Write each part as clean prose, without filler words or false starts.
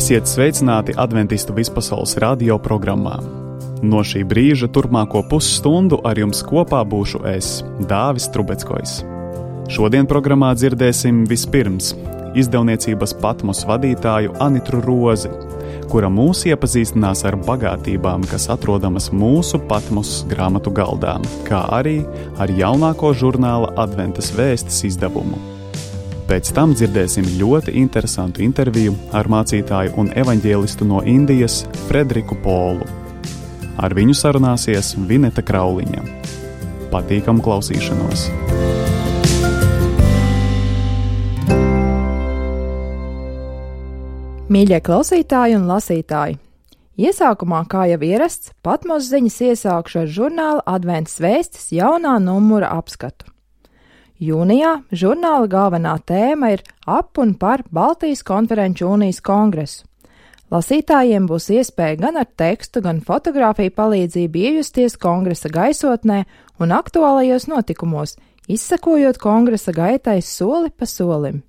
Esiet sveicināti Adventistu vispasaules radio programmā. No šī brīža turpmāko pusstundu ar jums kopā būšu es, Dāvis Trubeckojs. Šodien programmā dzirdēsim vispirms izdevniecības Patmos vadītāju Anitru Rozi, kura mūs iepazīstinās ar bagātībām, kas atrodamas mūsu Patmos grāmatu galdā, kā arī ar jaunāko žurnāla Adventas vēstis izdevumu. Pēc tam dzirdēsim ļoti interesantu interviju ar mācītāju un evaņģēlistu no Indijas Frederiku Polu. Ar viņu sarunāsies Vineta Krauliņa. Patīkamu klausīšanos! Mīļie klausītāji un lasītāji! Iesākumā, kā jau ierasts, Patmos ziņas iesākšu ar žurnāla Adventas vēstis jaunā numura apskatu. Jūnijā žurnāla galvenā tēma ir ap un par Baltijas konferenču unijas kongresu. Lasītājiem būs iespēja gan ar tekstu, gan fotogrāfiju palīdzību iejusties kongresa gaisotnē un aktuālajos notikumos, izsekojot kongresa gaitai soli pa solim.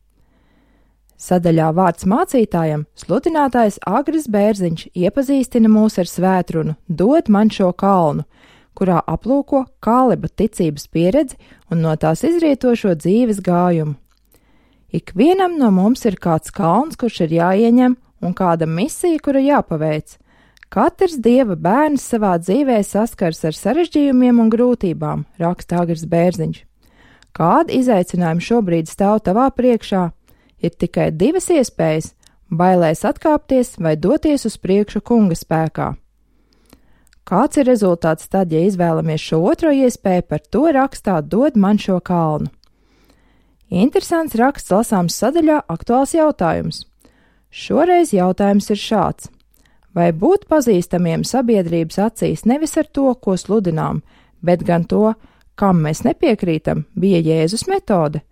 Sadaļā vārds mācītājam sludinātājs Agris Bērziņš iepazīstina mūs ar svētrunu Dod man šo kalnu, kurā aplūko Kāleba ticības pieredzi un no tās izrietošo dzīves gājumu. Ikvienam no mums ir kāds kalns, kurš ir jāieņem, un kāda misija, kura jāpaveic. Katrs Dieva bērns savā dzīvē saskars ar sarežģījumiem un grūtībām, raksta Agris Bērziņš. Kādi izaicinājumi šobrīd stāv tavā priekšā? Ir tikai divas iespējas – bailēs atkāpties vai doties uz priekšu kunga spēkā. Kāds ir rezultāts tad, ja izvēlamies šo otro iespēju, par to rakstā Dod man šo kalnu? Interesants raksts lasāms sadaļā aktuāls jautājums. Šoreiz jautājums ir šāds. Vai būt pazīstamiem sabiedrības acīs nevis ar to, ko sludinām, bet gan to, kam mēs nepiekrītam, bija Jēzus metode?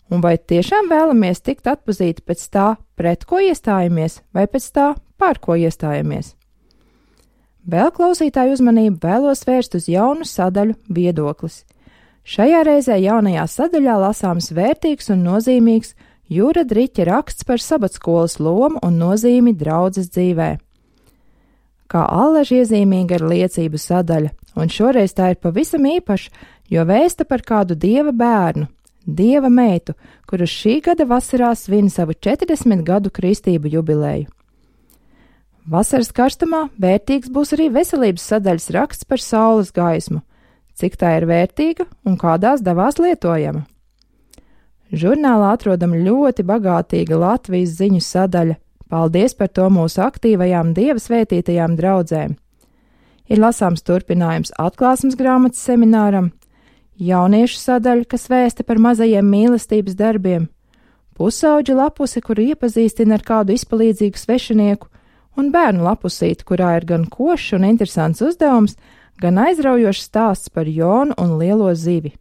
Un vai tiešām vēlamies tikt atpazīti pēc tā, pret ko iestājamies, vai pēc tā, pār ko iestājamies? Vēl klausītāju uzmanību vēlos vērst uz jaunu sadaļu viedoklis. Šajā reizē jaunajā sadaļā lasāms vērtīgs un nozīmīgs Jūra Driķa raksts par sabatskolas lomu un nozīmi draudzes dzīvē. Kā allaži iezīmīga ir liecību sadaļa, un šoreiz tā ir pavisam īpaša, jo vēsta par kādu Dieva bērnu, Dieva meitu, kuru šī gada vasarā svin savu 40 gadu kristību jubileju. Vasaras karstumā vērtīgs būs arī veselības sadaļas raksts par saules gaismu, cik tā ir vērtīga un kādās devās lietojama. Žurnālā atrodama ļoti bagātīga Latvijas ziņu sadaļa. Paldies par to mūsu aktīvajām Dieva svētītajām draudzēm. Ir lasāms turpinājums atklāsmes grāmatas semināram, jauniešu sadaļa, kas vēsta par mazajiem mīlestības darbiem, pusauģa lapuse, kuru iepazīstina ar kādu izpalīdzīgu svešinieku, un bērnu lapusīti, kurā ir gan košs un interesants uzdevums, gan aizraujošs stāsts par Jonu un lielo zivi.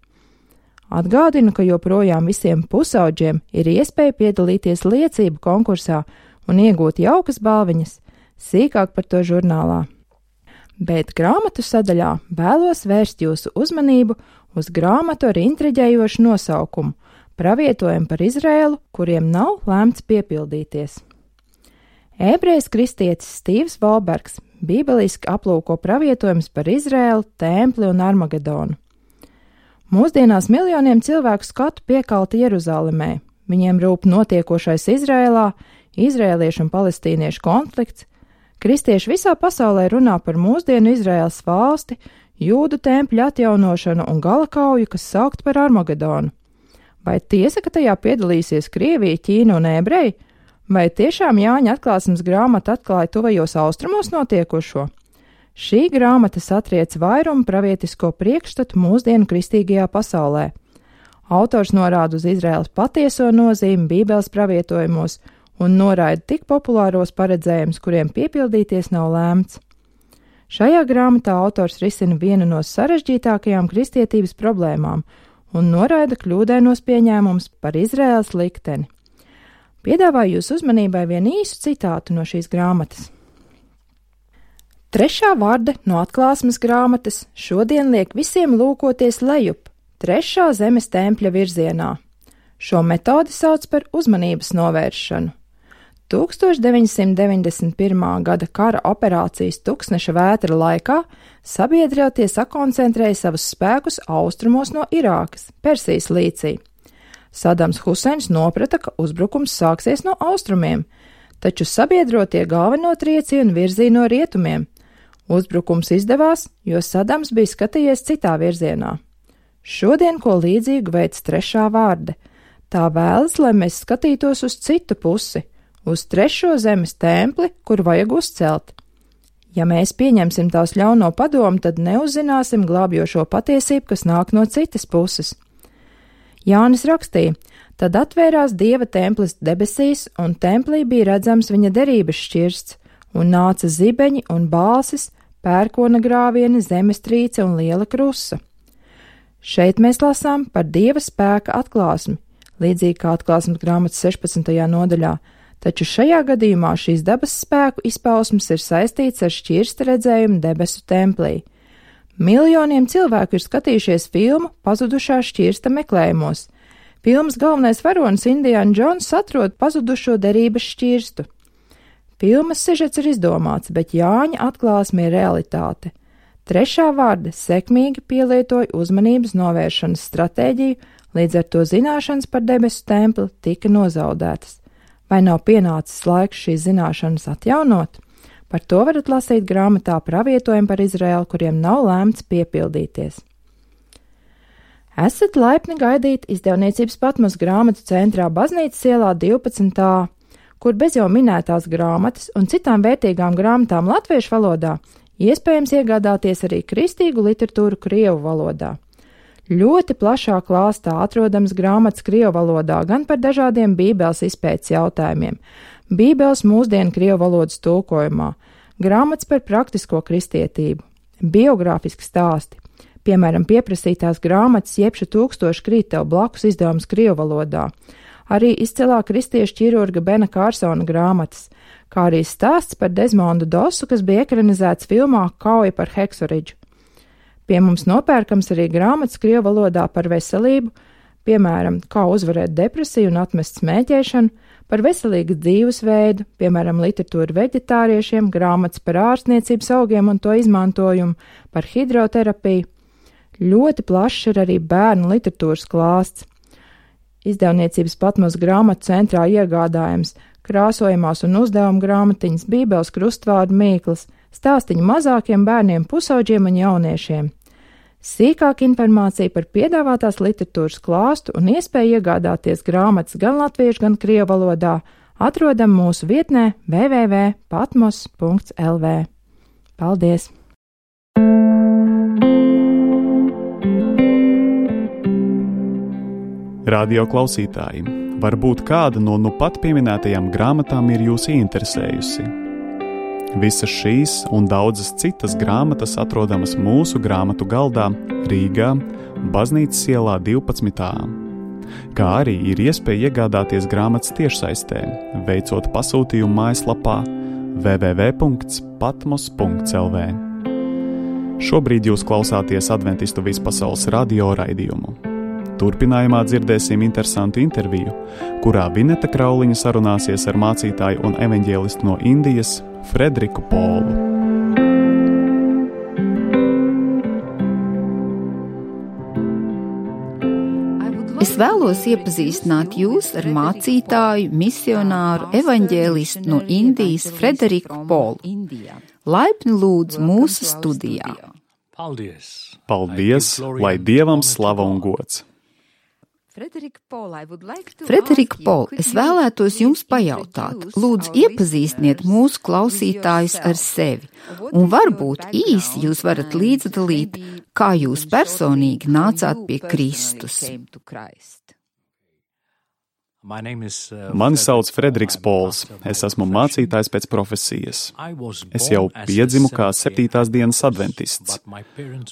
Atgādinu, ka joprojām visiem pusauģiem ir iespēja piedalīties liecību konkursā un iegūt jaukas balviņas, sīkāk par to žurnālā. Bet grāmatu sadaļā vēlos vērst jūsu uzmanību uz grāmatu ar intriģējošu nosaukumu Pravietojumu par Izraēlu, kuriem nav lēmts piepildīties. Ebrejs kristietis Stīvs Volbergs bībeliski aplūko pravietojumus par Izraēlu, templi un Armagedonu. Mūsdienās miljoniem cilvēku skatu piekalta Jeruzalemē. Viņiem rūp notiekošais Izraēlā, izraēliešu un palestīniešu konflikts. Kristieši visā pasaulē runā par mūsdienu Izraēlas valsti, jūdu tempļu atjaunošanu un galakauju, kas saukt par Armagedonu. Vai tiesa, ka tajā piedalīsies Krievija, Ķīna un ebreji? Vai tiešām Jāņa atklāsmes grāmata atklāja tuvajos austrumos notiekošo? Šī grāmata satriec vairumu pravietisko priekšstatu mūsdienu kristīgajā pasaulē. Autors norāda uz Izraēlas patieso nozīmi Bībeles pravietojumos un noraida tik populāros paredzējumus, kuriem piepildīties nav lēmts. Šajā grāmatā autors risina vienu no sarežģītākajām kristietības problēmām un noraida kļūdainos pieņēmumus par Izraēlas likteni. Piedāvāju jūs uzmanībai vienu īsu citātu no šīs grāmatas. Trešā varde no atklāsmes grāmatas šodien liek visiem lūkoties lejup, trešā zemes tempļa virzienā. Šo metodi sauc par uzmanības novēršanu. 1991. Gada kara operācijas Tuksneša vētra laikā sabiedrotie sakoncentrēja savus spēkus austrumos no Irākas, Persijas līcī. Sadams Huseins noprata, ka uzbrukums sāksies no austrumiem, taču sabiedrotie galveno triecienu virzīja no rietumiem. Uzbrukums izdevās, jo Sadams bija skatījies citā virzienā. Šodien ko līdzīgu veids Trešā vārde. Tā vēlas, lai mēs skatītos uz citu pusi, uz trešo zemes templi, kur vajag uzcelt. Ja mēs pieņemsim tās ļauno padomu, tad neuzzināsim glābjošo patiesību, kas nāk no citas puses. Jānis rakstīja, tad atvērās Dieva templis debesīs, un templī bija redzams viņa derības šķirsts, un nāca zibeņi un balsis, pērkona grāvieni, zemestrīce un liela krusa. Šeit mēs lasām par Dieva spēka atklāsmi, līdzīgi kā atklāsmes grāmatas 16. nodaļā, taču šajā gadījumā šīs dabas spēku izpausmes ir saistīts ar šķirsta redzējumu debesu templī. Miljoniem cilvēku ir skatījušies filmu Pazudušā šķirsta meklējumos. Filmas galvenais varonis Indiana Jones atrod pazudušo derības šķirstu. Filmas sižets ir izdomāts, bet Jāņa atklāsme ir realitāte. Trešā vārde sekmīgi pielietoja uzmanības novēršanas stratēģiju, līdz ar to zināšanas par debesu templi tika nozaudētas. Vai nav pienācis laiks šīs zināšanas atjaunot? Par to varat lasīt grāmatā Pravietojumu par Izraēlu, kuriem nav lēmts piepildīties. Esat laipni gaidīti izdevniecības Patmos grāmatu centrā Baznīcas ielā 12a, kur bez jau minētās grāmatas un citām vērtīgām grāmatām latviešu valodā iespējams iegādāties arī kristīgu literatūru krievu valodā. Ļoti plašā klāstā atrodams grāmatas krievu valodā gan par dažādiem Bībeles izpētes jautājumiem, Bībeles mūsdienu krievu valodas tulkojumā, grāmatas par praktisko kristietību, biogrāfiski stāsti, piemēram, pieprasītās grāmatas Jebša 1000 krīt tev blakus izdevums krievu valodā, arī izcilā kristiešu ķirurga Bena Kārsona grāmatas, kā arī stāsts par Desmondu Dosu, kas bija ekranizēts filmā Kauja par Heksoridžu. Pie mums nopērkams arī grāmatas krievu valodā par veselību, piemēram, kā uzvarēt depresiju un atmest smēķēšanu, par veselīgu dzīvesveidu, piemēram, literatūru veģetāriešiem, grāmatas par ārstniecības augiem un to izmantojumu, par hidroterapiju. Ļoti plašs ir arī bērnu literatūras klāsts. Izdevniecības Patmos grāmatu centrā iegādājams krāsojamās un uzdevuma grāmatiņas, Bībeles krustvārdu mīklas, stāstiņi mazākiem bērniem, pusauģiem un jauniešiem. Sīkāka informācija par piedāvātās literatūras klāstu un iespēju iegādāties grāmatas gan latviešu, gan krievu valodā atrodam mūsu vietnē www.patmos.lv. Paldies! Radio klausītāji, varbūt kāda no nu pat pieminētajām grāmatām ir jūs ieinteresējusi. Visas šīs un daudzas citas grāmatas atrodamas mūsu grāmatu galdā Rīgā, Baznīcas ielā 12. Kā arī ir iespēja iegādāties grāmatas tiešsaistē, veicot pasūtījumu mājaslapā www.patmos.lv. Šobrīd jūs klausāties Adventistu vispasaules radio raidījumu. Turpinājumā dzirdēsim interesantu interviju, kurā Vineta Krauliņa sarunāsies ar mācītāju un evaņģēlistu no Indijas Frederiku Polu. Es vēlos iepazīstināt jūs ar mācītāju, misionāru, evaņģēlistu no Indijas Frederiku Polu. Laipni lūdzu mūsu studijā. Paldies, lai Dievam slava un gods! Frederika Pol, es vēlētos jums pajautāt, lūdzu iepazīstiniet mūsu klausītājus ar sevi, un varbūt īsi jūs varat līdzdalīt, kā jūs personīgi nācāt pie Kristus. Mani sauc Frederiks Pols, es esmu mācītājs pēc profesijas. Es jau piedzimu kā 7. dienas adventists,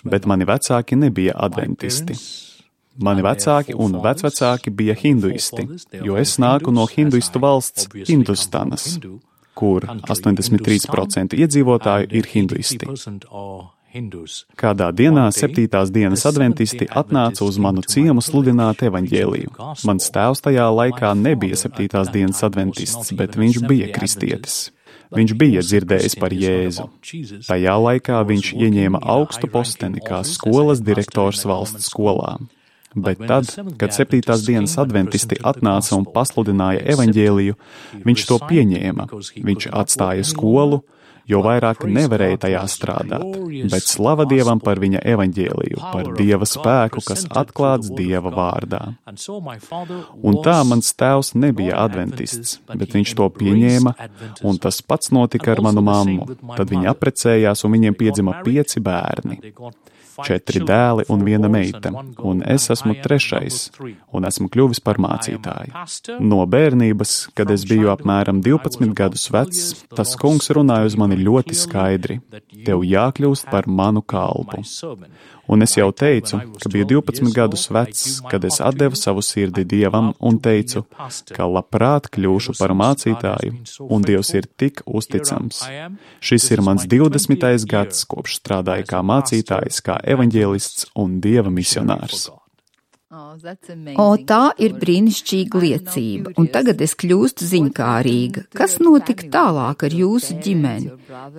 bet mani vecāki nebija adventisti. Mani vecāki un vecvecāki bija hinduisti, jo es nāku no hinduistu valsts Hindustanas, kur 83% iedzīvotāju ir hinduisti. Kādā dienā 7. dienas adventisti atnāca uz manu ciemu sludināt evaņģēliju. Mans tēvs tajā laikā nebija 7. dienas adventists, bet viņš bija kristietis. Viņš bija dzirdējis par Jēzu. Tajā laikā viņš ieņēma augstu posteni kā skolas direktors valsts skolā. Bet tad, kad 7. dienas adventisti atnāca un pasludināja evaņģēliju, viņš to pieņēma. Viņš atstāja skolu, jo vairāk nevarēja tajā strādāt, bet slava Dievam par viņa evaņģēliju, par Dieva spēku, kas atklāts Dieva vārdā. Un tā mans tēvs nebija adventists, bet viņš to pieņēma, un tas pats notika ar manu mammu. Tad viņi apprecējās, un viņiem piedzima 5 bērni. 4 dēli un 1 meita, un es esmu 3. un esmu kļuvis par mācītāju. No bērnības, kad es biju apmēram 12 gadus vecs, tas kungs runāja uz mani ļoti skaidri: tev jākļūst par manu kalpu. Un es jau teicu, ka biju 12 gadus vecs, kad es atdevu savu sirdi Dievam un teicu, ka labprāt kļūšu par mācītāju, un Dievs ir tik uzticams. Šis ir mans 20. gads, kopš strādāju kā mācītājs, kā evaņģēlists un Dieva misionārs. O, tā ir brīnišķīga liecība, un tagad es kļūstu ziņkārīga. Kas notika tālāk ar jūsu ģimeni,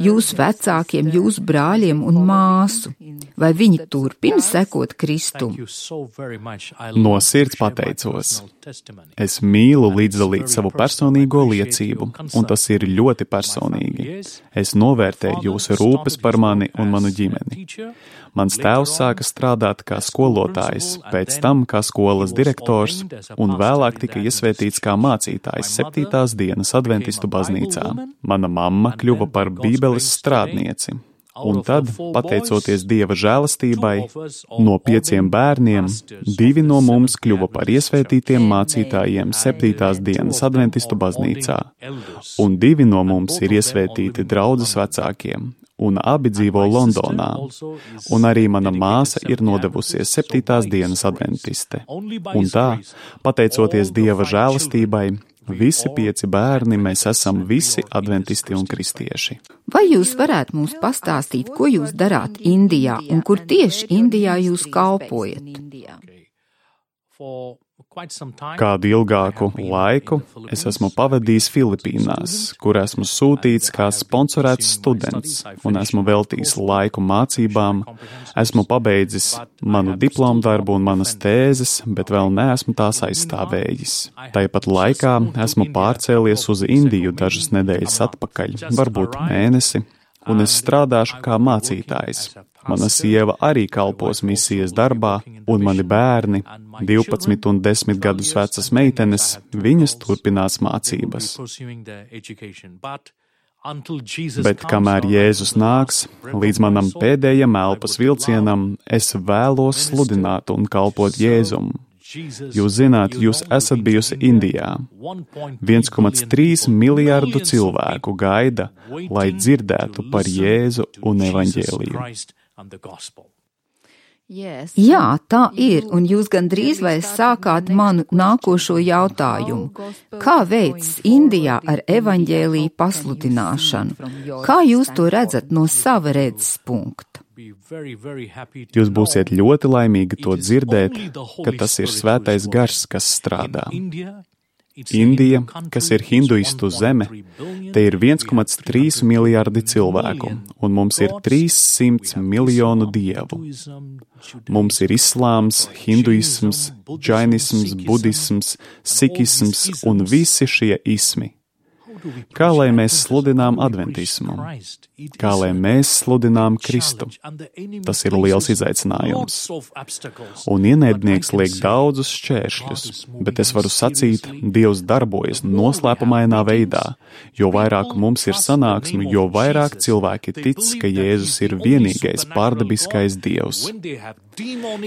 jūsu vecākiem, jūsu brāļiem un māsu? Vai viņi turpina sekot Kristum? No sirds pateicos. Es mīlu līdzdalīt savu personīgo liecību, un tas ir ļoti personīgi. Es novērtēju jūsu rūpes par mani un manu ģimeni. Mans tēvs sāka strādāt kā skolotājs, pēc tam kā skolas direktors, un vēlāk tika iesvētīts kā mācītājs 7. dienas adventistu baznīcā. Mana mamma kļuva par Bībeles strādnieci. Un tad, pateicoties Dieva žēlastībai, no 5 bērniem 2 no mums kļuva par iesvētītiem mācītājiem 7. dienas adventistu baznīcā, un 2 no mums ir iesvētīti draudzes vecākiem, un abi dzīvo Londonā, un arī mana māsa ir nodevusies 7. dienas adventiste. Un tā, pateicoties Dieva žēlastībai, visi 5 bērni mēs esam visi adventisti un kristieši. Vai jūs varētu mums pastāstīt, ko jūs darāt Indijā, un kur tieši Indijā jūs kalpojat? Kādu ilgāku laiku es esmu pavadījis Filipīnās, kur esmu sūtīts kā sponsorēts students, un esmu veltījis laiku mācībām, esmu pabeidzis manu diplomdarbu un manas tēzes, bet vēl neesmu tās aizstāvējis. Tāpat laikā esmu pārcēlies uz Indiju dažas nedēļas atpakaļ, varbūt mēnesi, un es strādāšu kā mācītājs. Mana sieva arī kalpos misijas darbā, un mani bērni, 12 un 10 gadus vecas meitenes, viņas turpinās mācības. Bet kamēr Jēzus nāks, līdz manam pēdējam elpas vilcienam, es vēlos sludināt un kalpot Jēzum. Jūs zināt, jūs esat bijusi Indijā. 1,3 miljārdu cilvēku gaida, lai dzirdētu par Jēzu un evaņģēliju. Jā, tā ir, un jūs gandrīz vai sākāt manu nākošo jautājumu. Kā veids Indijā ar evaņģēliju pasludināšanu? Kā jūs to redzat no sava redzes punkta? Jūs būsiet ļoti laimīgi to dzirdēt, ka tas ir svētais gars, kas strādā. Indija, kas ir hinduistu zeme, te ir 1,3 miljārdi cilvēku, un mums ir 300 miljonu dievu. Mums ir islāms, hinduisms, džainisms, budisms, sikisms un visi šie ismi. Kā lai mēs sludinām adventismu? Kā lai mēs sludinām Kristu? Tas ir liels izaicinājums. Un ienaidnieks liek daudzus šķēršļus, bet es varu sacīt, Dievs darbojas noslēpumainā veidā. Jo vairāk mums ir sanāksmi, jo vairāk cilvēki tic, ka Jēzus ir vienīgais pārdabiskais Dievs.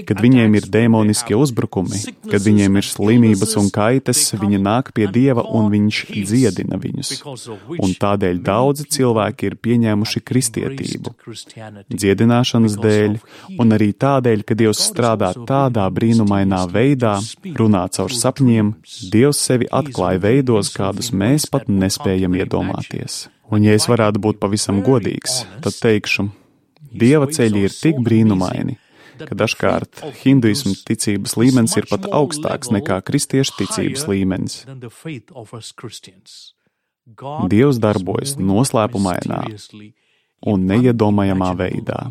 Kad viņiem ir dēmoniskie uzbrukumi, kad viņiem ir slimības un kaitas, viņi nāk pie Dieva un viņš dziedina viņus. Un tādēļ daudzi cilvēki ir pieņēmuši kristietību. Dziedināšanas dēļ, un arī tādēļ, ka Dievs strādā tādā brīnumainā veidā, runā caur sapņiem, Dievs sevi atklāja veidos, kādus mēs pat nespējam iedomāties. Un ja es varētu būt pavisam godīgs, tad teikšu, Dieva ceļi ir tik brīnumaini, ka dažkārt hinduismu ticības līmenis ir pat augstāks nekā kristiešu ticības līmenis. Dievs darbojas noslēpumainā un neiedomājamā veidā.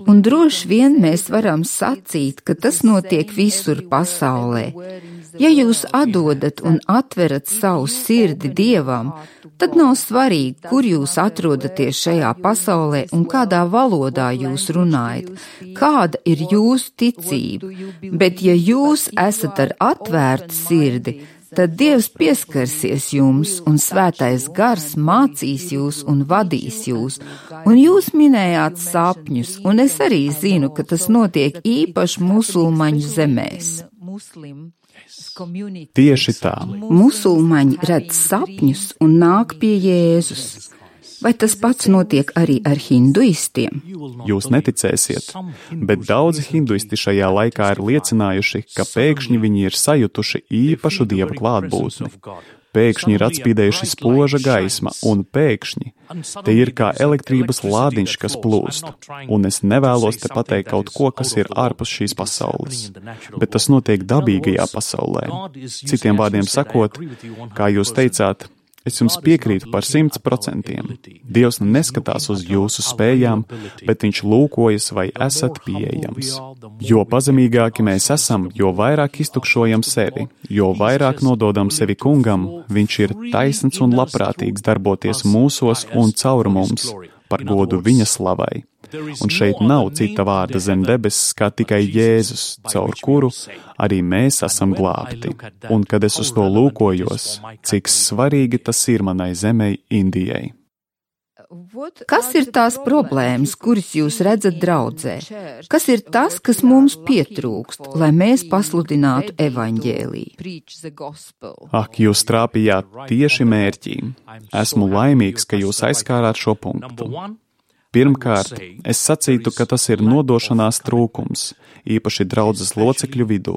Un droši vien mēs varam sacīt, ka tas notiek visur pasaulē. Ja jūs atdodat un atverat savu sirdi Dievam, tad nav svarīgi, kur jūs atrodaties šajā pasaulē un kādā valodā jūs runājat, kāda ir jūsu ticība. Bet ja jūs esat ar atvērtu sirdi, tad Dievs pieskarsies jums, un Svētais Gars mācīs jūs un vadīs jūs. Un jūs minējāt sapņus, un es arī zinu, ka tas notiek īpaši musulmaņu zemēs. Tieši tā. Musulmaņi redz sapņus un nāk pie Jēzus. Vai tas pats notiek arī ar hinduistiem? Jūs neticēsiet, bet daudzi hinduisti šajā laikā ir liecinājuši, ka pēkšņi viņi ir sajutuši īpašu Dieva klātbūtni. Pēkšņi ir atspīdējuši spoža gaisma, un pēkšņi te ir kā elektrības lādiņš, kas plūst. Un es nevēlos te pateikt kaut ko, kas ir ārpus šīs pasaules, bet tas notiek dabīgajā pasaulē. Citiem vārdiem sakot, kā jūs teicāt, es jums piekrītu par 100%. Dievs neskatās uz jūsu spējām, bet viņš lūkojas, vai esat pieejams. Jo pazemīgāki mēs esam, jo vairāk iztukšojam sevi, jo vairāk nododam sevi kungam, viņš ir taisns un labprātīgs darboties mūsos un caur mums, par godu viņa slavai. Un šeit nav cita vārda zem debesis, kā tikai Jēzus, caur kuru arī mēs esam glābti. Un kad es uz to lūkojos, cik svarīgi tas ir manai zemei Indijai. Kas ir tās problēmas, kuras jūs redzat draudzē? Kas ir tas, kas mums pietrūkst, lai mēs pasludinātu evaņģēliju? Ak, jūs trāpījāt tieši mērķī. Esmu laimīgs, ka jūs aizskārāt šo punktu. Pirmkārt, es sacītu, ka tas ir nodošanās trūkums, īpaši draudzes locekļu vidū.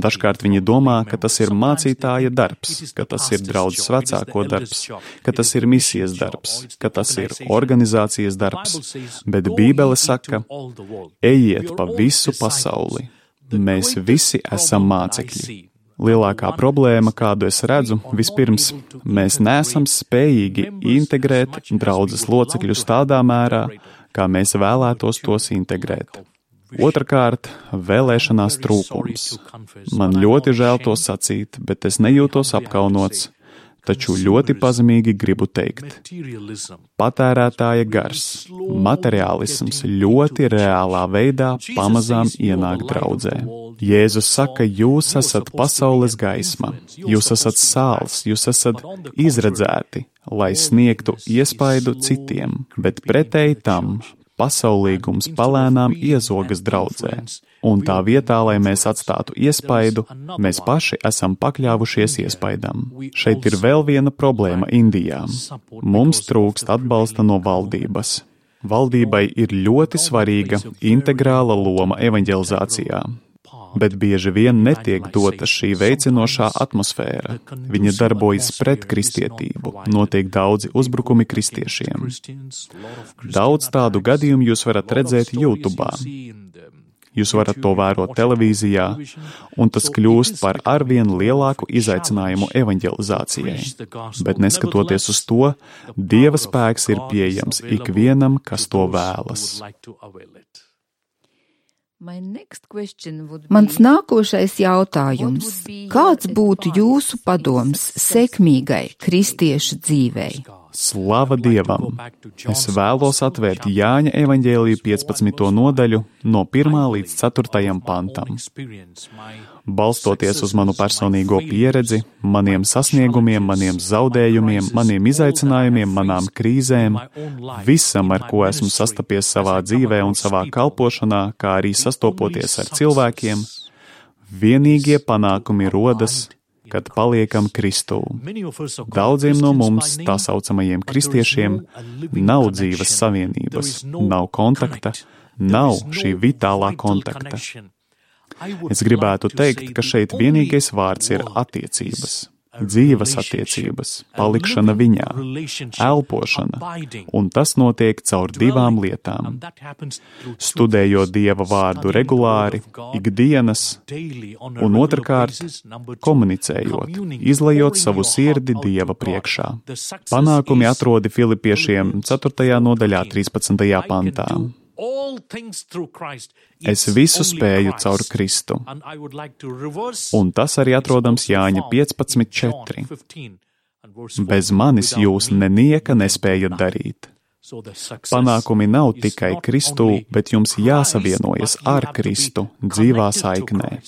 Dažkārt viņi domā, ka tas ir mācītāja darbs, ka tas ir draudzes vecāko darbs, ka tas ir misijas darbs, ka tas ir organizācijas darbs, bet Bībele saka, ejiet pa visu pasauli. Mēs visi esam mācekļi. Lielākā problēma, kādu es redzu, vispirms, mēs neesam spējīgi integrēt draudzes locekļus tādā mērā, kā mēs vēlētos tos integrēt. Otrakārt, vēlēšanās trūkums. Man ļoti žēl to sacīt, bet es nejūtos apkaunots, taču ļoti pazemīgi gribu teikt. Patērētāja gars, materiālisms ļoti reālā veidā pamazām ienāk draudzē. Jēzus saka, jūs esat pasaules gaisma, jūs esat sāls, jūs esat izredzēti, lai sniegtu iespaidu citiem, bet pretēji tam pasaulīgums palēnām iezogas draudzē. Un tā vietā, lai mēs atstātu iespaidu, mēs paši esam pakļāvušies iespaidam. Šeit ir vēl viena problēma Indijā. Mums trūkst atbalsta no valdības. Valdībai ir ļoti svarīga integrāla loma evaņģelizācijā, bet bieži vien netiek dota šī veicinošā atmosfēra. Viņa darbojas pret kristietību, notiek daudzi uzbrukumi kristiešiem. Daudz tādu gadījumu jūs varat redzēt YouTube. Jūs varat to vērot televīzijā, un tas kļūst par arvien lielāku izaicinājumu evaņģelizācijai. Bet neskatoties uz to, Dieva spēks ir pieejams ikvienam, kas to vēlas. Mans nākošais jautājums. Kāds būtu jūsu padoms sekmīgai kristiešu dzīvei? Slava Dievam! Es vēlos atvērt Jāņa evaņģēliju 15. nodaļu no 1. līdz 4. pantam. Balstoties uz manu personīgo pieredzi, maniem sasniegumiem, maniem zaudējumiem, maniem izaicinājumiem, manām krīzēm, visam, ar ko esmu sastapies savā dzīvē un savā kalpošanā, kā arī sastopoties ar cilvēkiem, vienīgie panākumi rodas, kad paliekam Kristū. Daudziem no mums, tā saucamajiem kristiešiem, nav dzīves savienības, nav kontakta, nav šī vitālā kontakta. Es gribētu teikt, ka šeit vienīgais vārds ir attiecības. dzīvas attiecības, palikšana viņā, elpošana, un tas notiek caur divām lietām. Studējot Dieva vārdu regulāri, ikdienas, un otrkārt, komunicējot, izlejot savu sirdi Dieva priekšā. Panākumi atrodi Filipiešiem 4. nodaļā 13. pantā. Es visu spēju caur Kristu. Un tas arī atrodams Jāņa 15:4. Bez manis jūs nenieka nespējat darīt. Panākumi nav tikai Kristū, bet jums jāsavienojas ar Kristu dzīvā saiknē.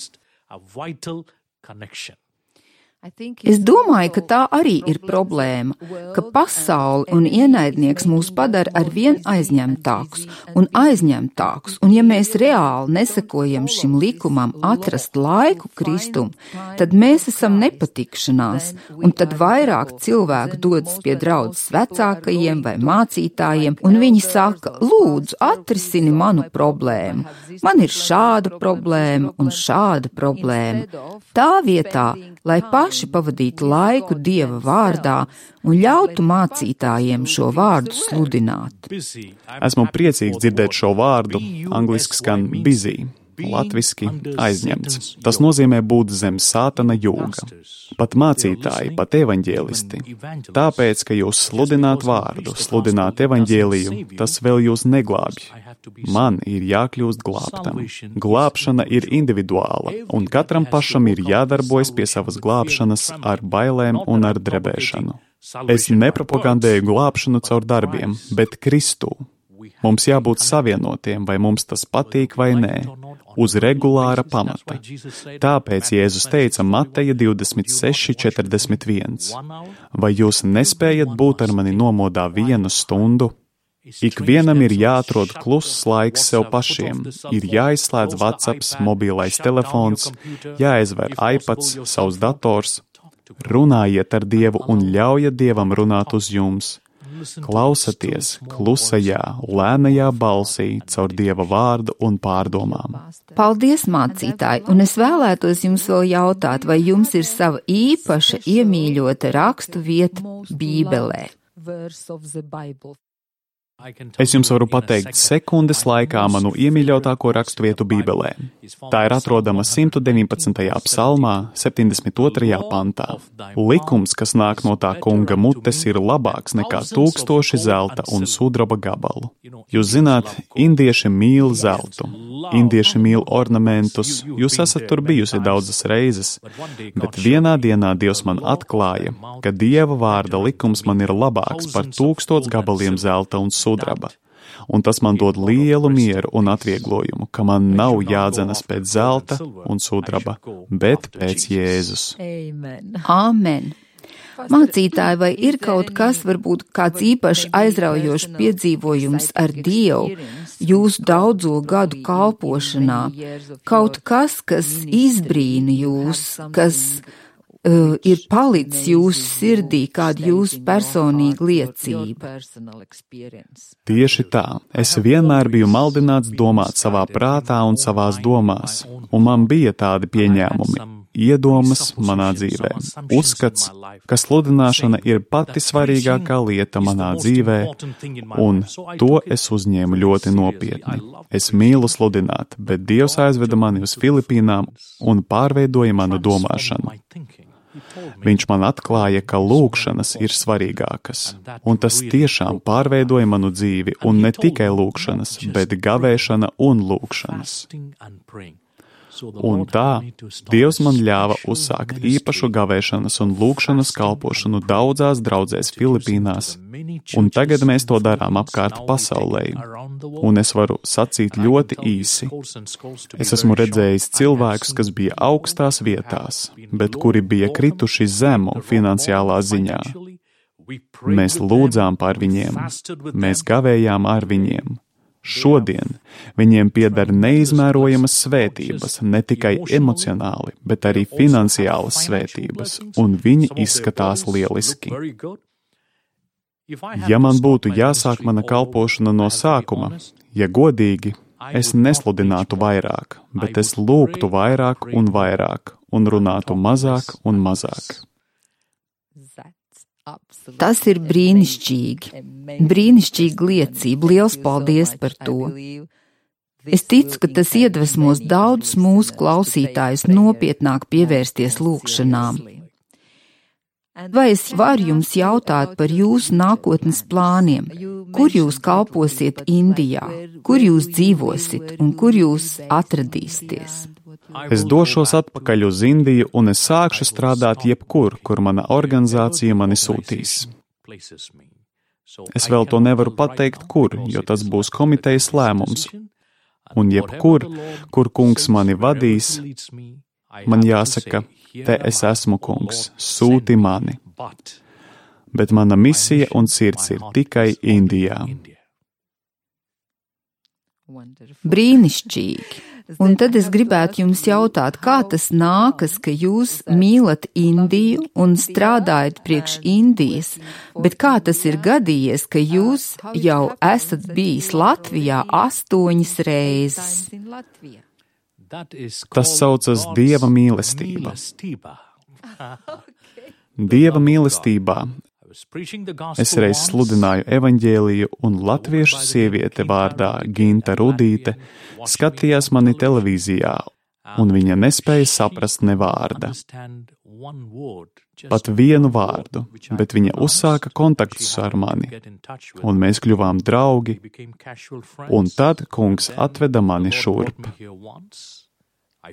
Es domāju, ka tā arī ir problēma, ka pasaule un ienaidnieks mūs padara arvien aizņemtākus, un ja mēs reāli nesakojam šim likumam atrast laiku Kristum, tad mēs esam nepatikšanās, un tad vairāk cilvēku dodas pie draudzes vecākajiem vai mācītājiem, un viņi saka, lūdzu, atrisini manu problēmu. Man ir šāda problēma un šāda problēma. Tā vietā, lai paši pavadītu laiku Dieva vārdā un ļautu mācītājiem šo vārdu sludināt. Esmu priecīgs dzirdēt šo vārdu, angliski skan busy, latviski aizņemts. Tas nozīmē būt zem sātana jūga. Pat mācītāji, pat evaņģēlisti. Tāpēc, ka jūs sludināt vārdu, sludināt evaņģēliju, tas vēl jūs neglābj. Man ir jākļūst glābtam. Glābšana ir individuāla, un katram pašam ir jādarbojas pie savas glābšanas ar bailēm un ar drebēšanu. Es nepropagandēju glābšanu caur darbiem, bet Kristū. Mums jābūt savienotiem, vai mums tas patīk vai nē, uz regulāra pamata. Tāpēc Jēzus teica Mateja 26:41. Vai jūs nespējat būt ar mani nomodā 1 stundu? Ikvienam ir jāatrod kluss laiks sev pašiem, ir jāizslēdz WhatsApps, mobilais telefons, jāizver iPads, savs dators. Runājiet ar Dievu un ļaujiet Dievam runāt uz jums. Klausaties klusajā, lēnajā balsī caur Dieva vārdu un pārdomām. Paldies, mācītāji, un es vēlētos jums vēl jautāt, vai jums ir sava īpaša iemīļota rakstu vieta Bībelē? Es jums varu pateikt sekundes laikā manu iemīļotāko raksturvietu Bībelē. Tā ir atrodama 119. psalmā, 72. pantā. Likums, kas nāk no tā kunga mutes, ir labāks nekā 1000 zelta un sudraba gabalu. Jūs zināt, indieši mīl zeltu, indieši mīl ornamentus, jūs esat tur bijusi daudzas reizes, bet vienā dienā Dievs man atklāja, ka Dieva vārda likums man ir labāks par 1000 gabaliem zelta un sudraba. Un tas man dod lielu mieru un atvieglojumu, ka man nav jādzenas pēc zelta un sudraba, bet pēc Jēzus. Āmen! Mācītāji, vai ir kaut kas, varbūt kāds īpaši aizraujošs piedzīvojums ar Dievu jūsu daudzo gadu kalpošanā? Kaut kas, kas izbrīna jūs, kas ir palicis jūsu sirdī, kāda jūsu personīga liecība? Tieši tā. Es vienmēr biju maldināts domāt savā prātā un savās domās, un man bija tādi pieņēmumi, iedomas manā dzīvē. Uzskats, ka sludināšana ir pati svarīgākā lieta manā dzīvē, un to es uzņēmu ļoti nopietni. Es mīlu sludināt, bet Dievs aizveda mani uz Filipīnām un pārveidoja manu domāšanu. Viņš man atklāja, ka lūgšanas ir svarīgākas, un tas tiešām pārveidoja manu dzīvi, un ne tikai lūgšanas, bet gavēšana un lūgšanas. Un tā Dievs man ļāva uzsākt īpašu gavēšanas un lūgšanas kalpošanu daudzās draudzēs Filipīnās, un tagad mēs to darām apkārt pasaulē. Un es varu sacīt ļoti īsi. Es esmu redzējis cilvēkus, kas bija augstās vietās, bet kuri bija krituši zemu finansiālā ziņā. Mēs lūdzām par viņiem, mēs gavējām ar viņiem. Šodien viņiem pieder neizmērojamas svētības, ne tikai emocionāli, bet arī finansiālas svētības, un viņi izskatās lieliski. Ja man būtu jāsāk mana kalpošana no sākuma, ja godīgi, es nesludinātu vairāk, bet es lūgtu vairāk un vairāk, un runātu mazāk un mazāk. Tas ir brīnišķīgi. Brīnišķīga liecība. Liels paldies par to. Es ticu, ka tas iedvesmos daudzus mūsu klausītājus nopietnāk pievērsties lūgšanām. Vai es varu jums jautāt par jūsu nākotnes plāniem? Kur jūs kalposiet Indijā? Kur jūs dzīvosit un kur jūs atradīsieties? Es došos atpakaļ uz Indiju un es sākšu strādāt jebkur, kur mana organizācija mani sūtīs. Es vēl to nevaru pateikt, kur, jo tas būs komitejas lēmums. Un jebkur, kur kungs mani vadīs, man jāsaka, te es esmu, kungs, sūti mani. Bet mana misija un sirds ir tikai Indijā. Brīnišķīgi. Un tad es gribētu jums jautāt, kā tas nākas, ka jūs mīlat Indiju un strādājat priekš Indijas, bet kā tas ir gadījies, ka jūs jau esat bijis Latvijā 8 reizes? Tas saucas Dieva mīlestība. Dieva mīlestībā es reiz sludināju evaņģēliju, un latviešu sieviete vārdā Ginta Rudīte skatījās mani televīzijā, un viņa nespēja saprast ne vārda. Pat vienu vārdu, bet viņa uzsāka kontaktus ar mani, un mēs kļuvām draugi, un tad kungs atveda mani šurp.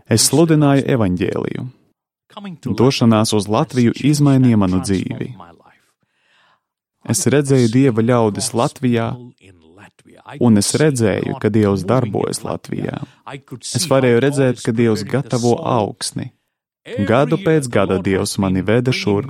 Es sludināju evaņģēliju. Došanās uz Latviju izmainīja manu dzīvi. Es redzēju Dieva ļaudis Latvijā, un es redzēju, ka Dievs darbojas Latvijā. Es varēju redzēt, ka Dievs gatavo augsni. Gadu pēc gada Dievs mani veda šurp,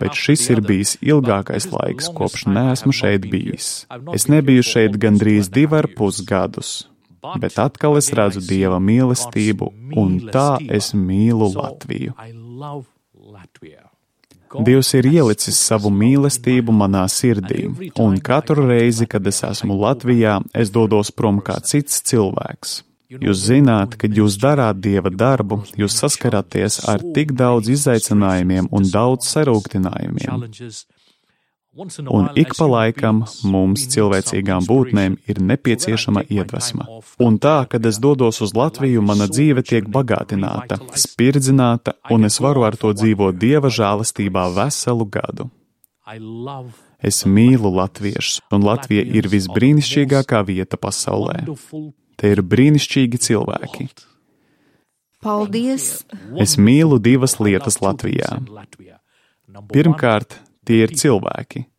bet šis ir bijis ilgākais laiks, kopš neesmu šeit bijis. Es nebiju šeit gandrīz 2,5 gadus, bet atkal es redzu Dieva mīlestību, un tā es mīlu Latviju. Dievs ir ielicis savu mīlestību manā sirdī, un katru reizi, kad es esmu Latvijā, es dodos prom kā cits cilvēks. Jūs zināt, kad jūs darāt Dieva darbu, jūs saskaraties ar tik daudz izaicinājumiem un daudz sarūktinājumiem. Un ik pa laikam mums, cilvēcīgām būtnēm, ir nepieciešama iedvesma. Un tā, kad es dodos uz Latviju, mana dzīve tiek bagātināta, spirdzināta, un es varu ar to dzīvot Dieva žēlastībā veselu gadu. Es mīlu latviešus, un Latvija ir visbrīnišķīgākā vieta pasaulē. Te ir brīnišķīgi cilvēki. Paldies! Es mīlu 2 lietas Latvijā. Pirmkārt, tie ir cilvēki,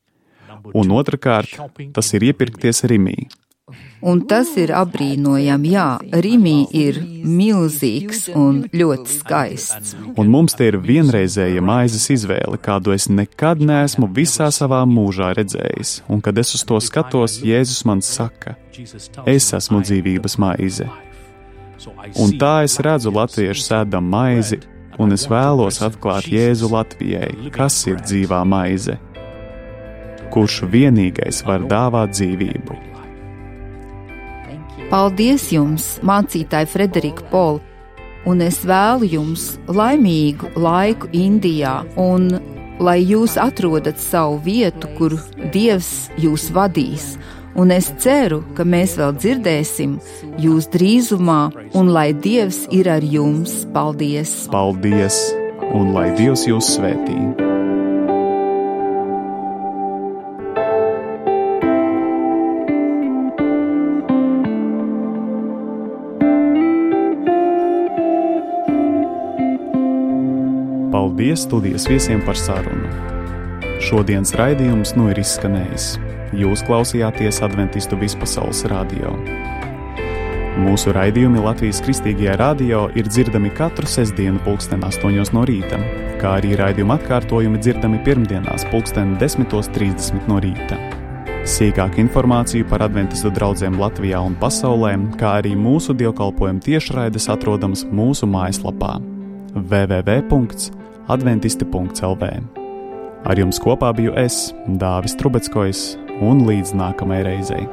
un otrkārt, tas ir iepirkties Rimī. Un tas ir apbrīnojami, jā, Rimī ir milzīgs un ļoti skaists. Un mums te ir vienreizēja maizes izvēle, kādu es nekad neesmu visā savā mūžā redzējis, un kad es uz to skatos, Jēzus man saka, es esmu dzīvības maize. Un tā es redzu latviešu sēdam maizi, un es vēlos atklāt Jēzu Latvijai, kas ir dzīvā maize, kurš vienīgais var dāvāt dzīvību. Paldies jums, mācītāji Frederika Pola, un es vēlu jums laimīgu laiku Indijā, un lai jūs atrodat savu vietu, kur Dievs jūs vadīs. Un es ceru, ka mēs vēl dzirdēsim jūs drīzumā, un lai Dievs ir ar jums. Paldies! Paldies! Un lai Dievs jūs svētī! Paldies studijas viesiem par sarunu! Šodienas raidījums ir izskanējis. Jūs klausījāties Adventistu vispasaules radio. Mūsu raidījumi Latvijas Kristīgajā radio ir dzirdami katru sestdienu 8:00 no rīta, kā arī raidījuma atkārtojumi dzirdami pirmdienās 10:30 no rīta. Sīkāku informāciju par Adventistu draudzēm Latvijā un pasaulē, kā arī mūsu dievkalpojumu tiešraides atrodams mūsu mājaslapā www.adventisti.lv. Ar jums kopā biju es, Dāvis Trubeckojs, un līdz nākamajai reizei.